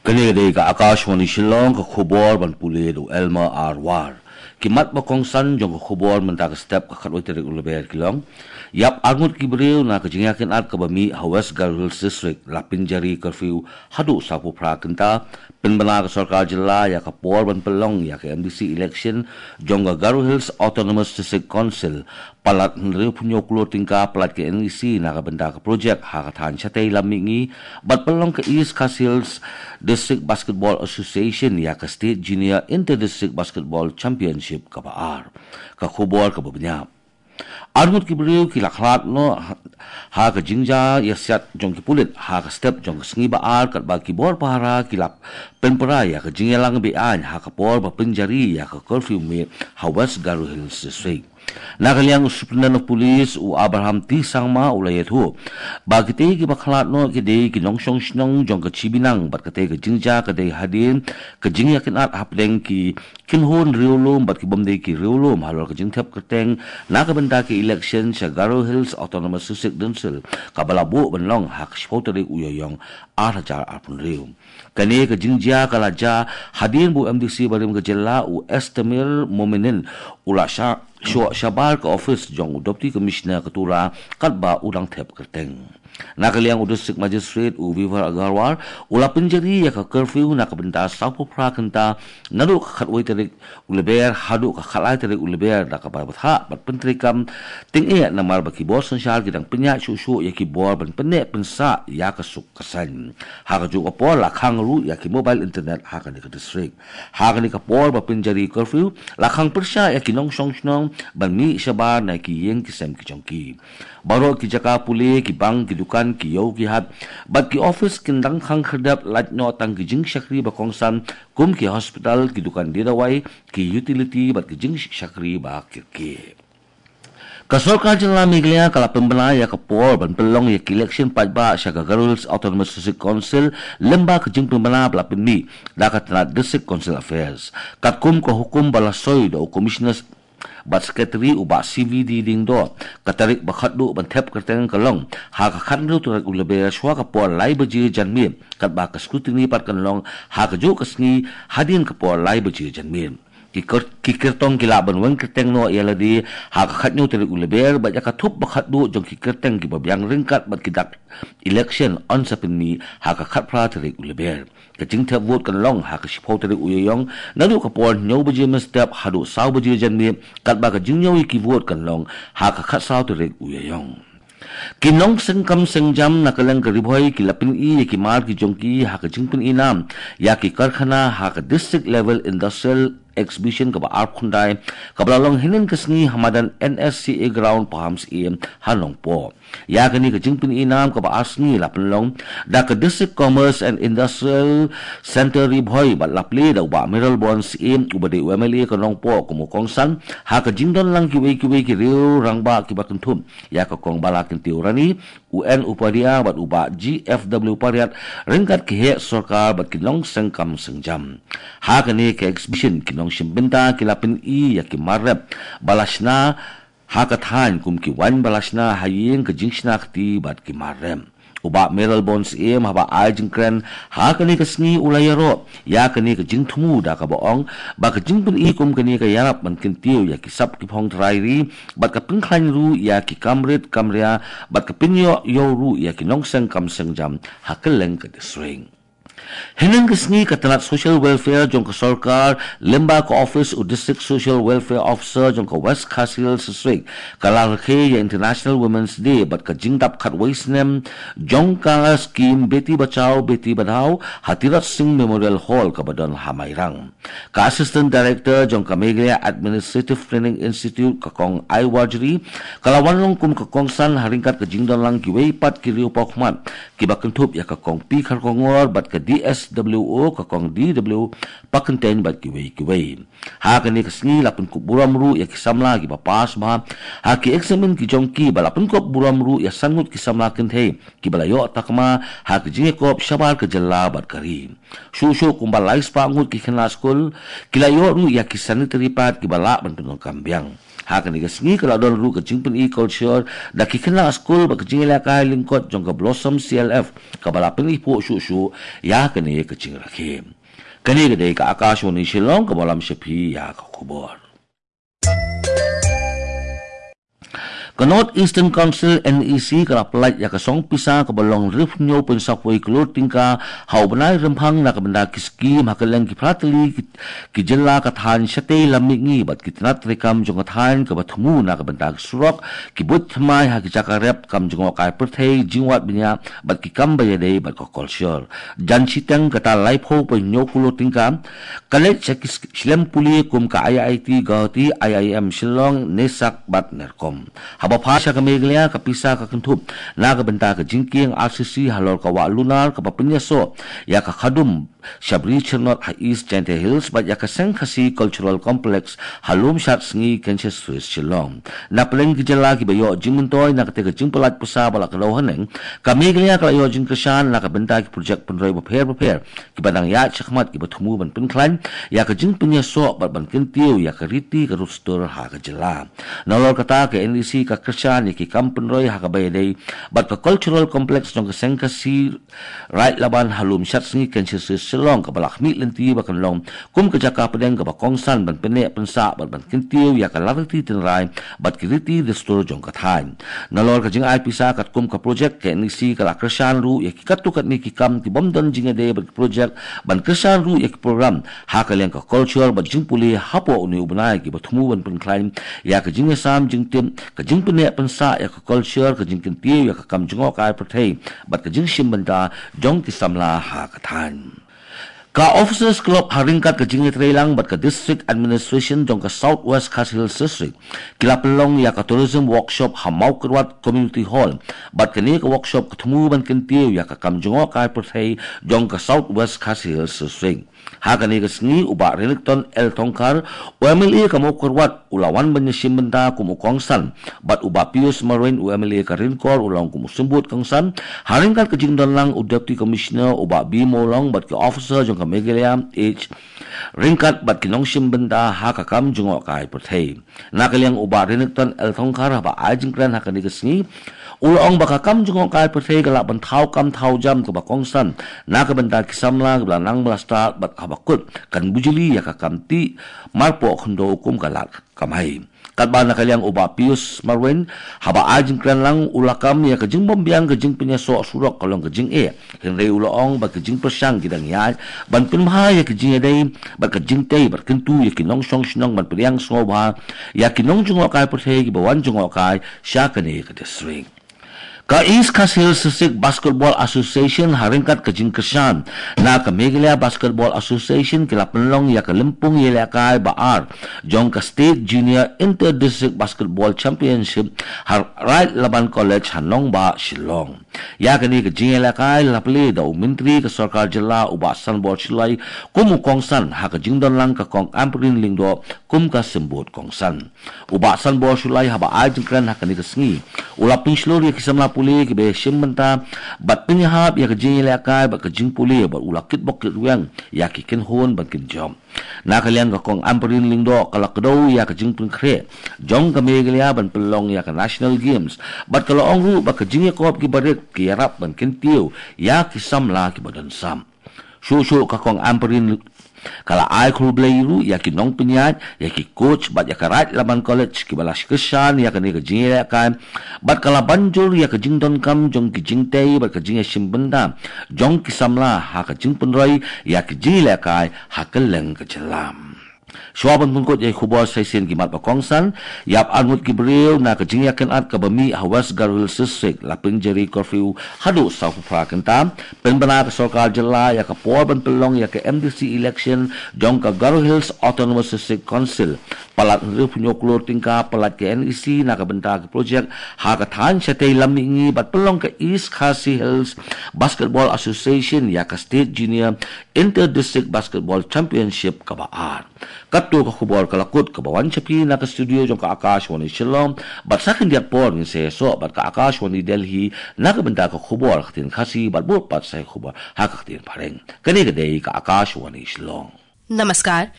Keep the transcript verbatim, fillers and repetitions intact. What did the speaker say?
Kane ka dei ka Akashvani Shillong, ka khubor ban pule da u Elmer R War. Ki mat ba kongsan jong ka khubor mynta ka step ka khatwei tarik u Lber ki long: Ïap arngut ki briew na ka jingïakynad kaba mih ha West Garo Hills District, la pynjari curfew haduh sawphew phra kynta. Pynbna ka sorkar jylla ïa ka por ban pynlong ïa ka M D C election jong ka Garo Hills Autonomous District Council. Palat hynriewphew hynñiew klur tyngka palat ka N E C na ka bynta ka projek ha ka thaiñ shatei lam mihngi, bad pynlong ka East Khasi Hills District Basketball Association ïa ka State Junior Inter District Basketball Championship kaba ar. Ka khubor kaba bniah: Arngut ki briew ki la khlad noh ha, ha ka jingjia ïasiat jong ki pulit ha ka step jong ka sngi ba ar, katba ki bor pahara ki la pynpra ïa ka jingïalang beaiñ ha ka por ba pynjari ïa ka curfew mih ha West Garo Hills District. Na ka liang u Superintendent of Police u Abraham T Sangma u la ïathuh ba kitei kiba khlad noh ki dei ki nongshong shnong jong ka Chibinang, bad katei ka jingjia ka dei hadien ka jingïakynad hapdeng ki kynhun riewlum bad ki bym dei ki riewlum halor ka jingthep kyrteng na ka bynta ka election sha Garo Hills Autonomous District Council, kaba la buh ban long ha ka shiphew tarik u Ïaïong ar hajar arphew hynriew. Kane ka jingjia ka la jia hadien ba u M D C barim ka jylla u Estamir Mominin u la sha, shoh shabar ka office jong u Deputy Commissioner ka Tura, katba u dang thep kyrteng. Na ka liang u District Magistrate u Vivek Agarwal u la pynjari ïa ka curfew na ka bynta sawphew phra kynta naduh ka khatwei tarik u Lber haduh ka khatlai tarik u Lber, da kaba bthah bad pyntreikam tyngeh namar ba ki bor synshar ki dang pynïaid shuh shuh ïa ki bor ban pynneh pynsah ïa ka suk ka saiñ. Ha kajuh ka por la khang ruh ïa ki mobile internet ha kane ka district. Ha kane ka por ba pynjari curfew la khang pyrshah ïa ki nongshong shnong ban mih shabar na ki ïing ki sem ki jong ki. Baroh ki jaka pule, ki bank, ki dukan, ki ïew ki hat bad ki office kin dang khang khyrdep, lait noh tang ki jingshakri ba kongsan kum ki hospital, ki dukan die dawai, ki utility bad ki jingshakri ba kyrkieh. Ka sorkar jylla Meghalaya ka la pynbna ïa ka por ban pynlong ïa ka election paidbah sha ka Garo Hills Autonomous District Council lyngba ka jingpynbna ba la pynmih da ka tnat District Council Affairs. Katkum ka hukum ba la soi da u Commissioner bad Secretary u Bah C V D Lyngdoh, ka tarik ba khatduh ban thep kyrteng ka long ha ka khathynriew tarik u Lber shwa ka por lai baje janmiet, katba ka scrutiny pat kan long ha kajuh ka sngi hadien ka por lai baje janmiet. Ki kyr-, ki kyrtong ki lah ban weng kyrteng noh ïa lade ha ka khathynñiew tarik u Lber, bad ïa ka thup ba khatduh jong ki kyrteng kiba biang ryngkat bad ki dak election yn sa pynmih ha ka khatphra tarik u Lber. Ka jingthep vote kan long ha ka shiphew tarik u Ïaïong naduh ka por hynñiew baje mynstep haduh saw baje janmiet, katba ka jingñiew ïa ki vote kan long ha ka khatsaw tarik u Ïaïong. Ki nongseng kam seng jam na ka liang ka Ri Bhoi ki la pyni ïa ki mar ki jong ki ha ka jingpyni nam ïa ki karkhana ha ka District Level Industrial Exhibition kaba arphew khyndai, kaba la long hynnin ka sngi ha madan N S C A Ground Pahamsyiem ha Nongpoh. Ïa kane ka jingpyni nam kaba ar sngi la pynlong da ka District Commerce and Industrial Centre Ri Bhoi bad la plie da u Bah Mayralborn Syiem uba dei u M L A ka Nongpoh kum u kongsan, ha ka jingdon lang kiwei kiwei ki riew rangbah kiba kynthup ïa ka Kong Bala Kyntiew Rani, u N Upadhyay bad u Bah G F W Pariat, ryngkat ki heh sorkar bad ki nongseng kam seng jam. Ha kane ka exhibition ki nongshim bynta ki la pyni ïa ki mar rep ba la shna ha ka thaiñ kum ki waiñ ba la shna ha ïing, ka jingshna kti bad ki mar rep. U Bah Mayralborn Syiem haba ai jingkren ha kane ka sngi u la ïaroh ïa kane ka jingthmu da kaba ong ba ka jingpyni kum kane ka ïarap ban kyntiew ïa ki sap ki phong trai ri bad ka pynkhlaiñ ruh ïa ki kam rit kam ria bad ka pynïoh ïew ruh ïa ki nongseng kam seng jam ha kylleng ka district. Hynnin ka sngi ka tnat Social Welfare jong ka sorkar lyngba ka office u District Social Welfare Officer jong ka West Khasi Hills District ka la rakhe ïa International Women's Day bad ka jingdap khatwei snem jong ka skim Beti Bachao Beti Padhao ha Tirot Singh Memorial Hall kaba don ha Mairang. Ka Assistant Director jong ka Meghalaya Administrative Training Institute ka Kong Ai Warjri ka la wan long kum ka kongsan ha ryngkat ka jingdon lang kiwei pat ki riew paw khmat kiba kynthup ïa ka Kong P Kharkongor bad ka D S W O ka Kong D W Pakyntein bad kiwei kiwei. Ha kane ka sngi la pynkup burom ruh ïa ki samla kiba pass bha ha ki eksamin ki jong ki bad la pynkup burom ruh ïa san ngut ki samla kynthei kiba la ïoh takma ha ki jingïakop shabar ka jylla bad ka ri. Shuh shuh kumba lai spah ngut ki khynnah skul ki la ïoh ruh ïa ki sanitary pad kiba lah ban pyndonkam biang. Ha kane ka sngi ka la don ruh ka jingpyni culture da ki khynnah skul bad ka jingïalehkai lyngkot jong ka Blossom C L F kaba la pyni phuh shuh shuh ïa kane ka jingrakhe. Kane ka dei ka Akashvani Shillong kaba lam sha phi ïa ka khubor. Ka North Eastern Council N E C ka la pyllait ïa ka song pisa kaba long hynriew phew hynñiew point saw wei klur tyngka ha u bnai Rymphang na ka bynta ki skim ha kylleng ki phra tylli ki, ki jylla ka thaiñ shatei lam mihngi bad ki tnat treikam jong ka thaiñ kaba thmu na ka bynta ki surok, ki buit thymmai ha ki jaka rep, kam jngohkai pyrthei, jingwad bniah bad ki kam ba ïadei bad ka culture. Jan shiteng kata laiphew point hynñiew klur tyngka ka leit sha ki sk-, shlem pule kum ka I I T Guwahati, I I M Shillong, NESAC bad NERCOM. Haba phai sha ka Meghalaya ka pisa ka kynthup na ka bynta ka jingkieng R C C halor ka wah lunar kaba pynïasoh ïa ka khadum sha Bri Chyrnot ha East Jaintia Hills bad ïa ka Seng Khasi Cultural Complex ha Lumshad Sngi Kensaswith Shillong. Na pdeng ki jylla kiba ïoh jingmyntoi na katei ka jingpyllait pisa ba la kdew haneng, ka Meghalaya ka la ïoh jingkyrshan na ka bynta ki projek pynroi bapher bapher kiba dang ïaid shakhmat kiba thmu ban pynkhlaiñ ïa ka jingpynïasoh bad ban kyntiew ïa ka riti ka dustur ha ka jylla. Nalor kata ka N E C ka kyrshan ïa ki kam pynroi ha kaba ïadei bad ka Cultural Complex jong ka Seng Khasi Raid Laban ha Lumshad Sngi Kensaswith Shillong kaba la khmih lynti ba kan long kum ka jaka pdeng kaba kongsan ban pynneh pynsah bad ban kyntiew ïa ka lad riti tynrai bad ki riti dustur jong ka thaiñ. Nalor ka jingai pisa katkum ka projek, ka N E C ka la kyrshan ruh ïa ki katto katne ki kam kibym don jingïadei bad ki projek, ban kyrshan ruh ïa ki program ha ka liang ka culture bad jingpule hapoh une u bnai kiba thmu ban pynkhlaiñ ïa ka jingïasam jingtip, ka jingpynneh pynsah ïa ka culture, ka jingkyntiew ïa ka kam jngohkai pyrthei bad ka jingshim bynta jong ki samla ha ka thaiñ. Ka Officers Club ha ryngkat ka jingïatreilang bad ka District Administration jong ka South West Khasi Hills District ki la pynlong ïa ka Tourism Workshop ha Mawkyrwat Community Hall, bad kane ka workshop ka thmu ban kyntiew ïa ka kam jngohkai pyrthei jong ka South West Khasi Hills District. Ha kane ka sngi u Bah Renikton L Thongkhar, u M L A ka Mawkyrwat, u la wan ban ïashim bynta kum u kongsan, bad u Bah Pius Marwein, u M L A ka Rinkor, u la ong kum u symbud kongsan, ha ryngkat ka jingdon lang u Deputy Commissioner u Bah B Mawlong bad ki officer jong ka Meghalaya H ryngkat bad ki nongshim bynta ha ka kam jngohkai pyrthei. Na ka liang u Bah Renikton L Thongkhar haba ai jingkren ha kane ka sngi, u la ong ba ka kam jngohkai pyrthei ka lah ban thaw kam thaw jam kaba kongsan na ka bynta ki samla kiba la nang ba la stad bad haba kut kan bujli ïa ka kam tih marpoh khyndew kum ka lad kamai. Katba na ka liang u Bah Pius Marwein haba ai jingkren lang, u la kam ïa ka jingbymbiang ka jingpynïasoh surok ka long ka jingeh. Hynrei u la ong ba ka jingpyrshang ki dang ïaid ban pynbha ïa ka jingïadei bad ka jingtei bad kyntu ïa ki nongshong shnong ban pdiang sngewbha ïa ki nongjngohkai pyrthei kiba wan jngohkai sha kane ka district. Ka East Khasi Hills District Basketball Association ha ryngkat ka jingkyrshan na ka Meghalaya Basketball Association ki la pynlong ïa ka lympung ïalehkai ba ar jong ka State Junior Inter District Basketball Championship ha Raid Laban College ha nongbah Shillong. Ïa kane ka jingïalehkai la plie da u Myntri ka Sorkar Jylla u Bah Sanbor Shullai kum u kongsan ha ka jingdon lang ka Kong Ampareen Lyngdoh kum ka symbud kongsan. U Bah Sanbor Shullai haba ai jingkren ha kane ka sngi, u la pynshlur ïa ki samla pule kiba ïashim bynta bad pynïahap ïa ka jingïalehkai bad ka jingpule bad u la kitbok kitrwiang ïa ki kynhun ban kynjop. Na ka liang ka Kong Ampareen Lyngdoh ka la kdew ïa ka jingpynkhreh jong ka Meghalaya ban pynlong ïa ka National Games bad ka la ong ruh ba ka jingïakop ki barit ki ïarap ban kyntiew ïa ki samla kiba don sap. Shuh shuh ka Kong Ampareen ka la ai khublei ruh ïa ki nongpynïaid, ïa ki coach bad ïa ka Raid Laban College kiba la kyrshan ïa kane ka jingïalehkai bad ka la ban jur ïa ka jingdonkam jong ki jingtei bad ka jingïashim bynta jong ki samla ha ka jingpynroi ïa ka jingïalehkai ha kylleng ka jylla. Shuwa ban pynkut ïa ki khubor sa shisien ki mat ba kongsan, ïap arngut ki briew na ka jingïakynad kaba mih ha West Garo Hills District la pynjari curfew haduh sawphew phra kynta. Pynbna ka Sorkar Jylla ïa ka por ban pynlong ïa ka M D C election jong ka Garo Hills Autonomous District Council. Palat hynriewphew hynñiew klur tyngka palat ka N E C na ka bynta ka projek ha ka thaiñ shatei lam mihngi bad pynlong ka East Khasi Hills Basketball Association ïa ka State Junior Inter District Basketball Championship kaba ar. Katto ka khubor ka la kut kaba wan sha phi na ka studio jong ka Akashvani Shillong, bad sa khyndiat por ngin sa ïasoh bad ka Akashvani Delhi na ka bynta ka khubor ha ka ktien Khasi bad bud pat sa ïa ka khubor ha ka ktien Phareng. Kane ka dei ka Akashvani Shillong. Namaskar.